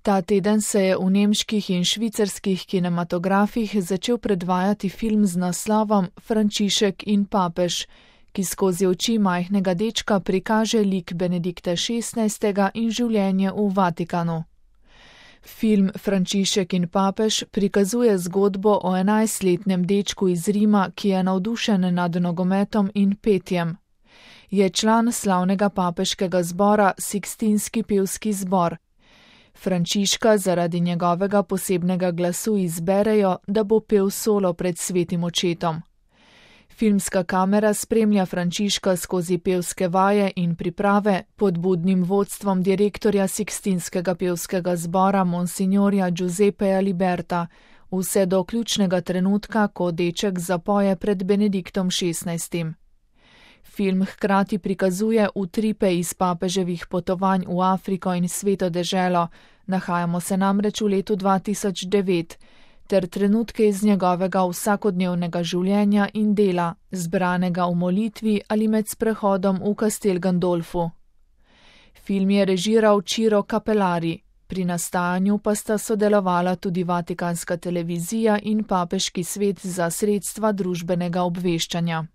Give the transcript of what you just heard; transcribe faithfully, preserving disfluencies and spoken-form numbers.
Ta teden se je v nemških in švicarskih kinematografih začel predvajati film z naslovom Frančišek in papež, ki skozi oči majhnega dečka prikaže lik Benedikta šestnajstega in življenje v Vatikanu. Film Frančišek in papež prikazuje zgodbo o enajstletnem dečku iz Rima, ki je navdušen nad nogometom in petjem. Je član slavnega papeškega zbora Sikstinski pevski zbor. Frančiška zaradi njegovega posebnega glasu izberejo, da bo pel solo pred svetim očetom. Filmska kamera spremlja Frančiška skozi pevske vaje in priprave pod budnim vodstvom direktorja Sikstinskega pevskega zbora monsignorja Giuseppeja Liberta, vse do ključnega trenutka, ko deček zapoje pred Benediktom šestnajstim. Film hkrati prikazuje utripe iz papeževih potovanj v Afriko in Sveto deželo, nahajamo se namreč v letu dva tisoč devet, ter trenutke iz njegovega vsakodnevnega življenja in dela, zbranega v molitvi ali med sprehodom v Castel Gandolfu. Film je režiral Ciro Capellari, pri nastajanju pa sta sodelovala tudi Vatikanska televizija in Papeški svet za sredstva družbenega obveščanja.